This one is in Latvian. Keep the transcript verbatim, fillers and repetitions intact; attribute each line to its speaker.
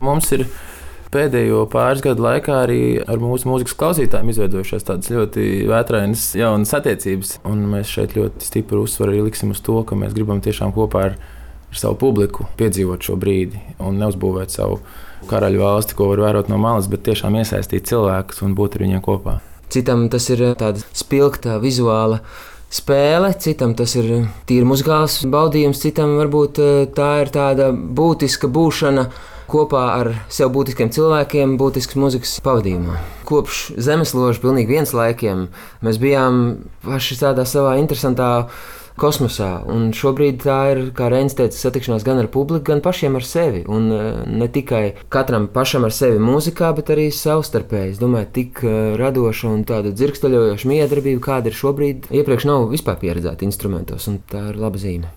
Speaker 1: Mums ir pēdējo pāris gadu laikā arī ar mūsu mūzikas klausītājiem izveidojušās tādas ļoti vētrainas jaunas attiecības. Un mēs šeit ļoti stipru uzsvaru arī liksim uz to, ka mēs gribam tiešām kopā ar, ar savu publiku piedzīvot šo brīdi un neuzbūvēt savu karaļu valsti, ko var vērot no malas, bet tiešām iesaistīt cilvēkus un būt ar viņiem kopā.
Speaker 2: Citam tas ir tāda spilgta vizuāla spēle, citam tas ir tīri muzikāls baudījums, citam varbūt tā ir tāda būtiska būšana kopā ar sev būtiskiem cilvēkiem, būtiskas muzikas pavadījumā. Kopš zemesloža pilnīgi viens laikiem mēs bijām paši tādā savā interesantā kosmosā, un šobrīd tā ir, kā Reinis teica, satikšanās gan ar publiku, gan pašiem ar sevi, un ne tikai katram pašam ar sevi mūzikā, bet arī savstarpēji. Es domāju, tik radoša un tāda dzirksteļojoša miedarbība, kāda ir šobrīd, iepriekš nav vispār pieredzēta instrumentos, un tā ir laba zīme.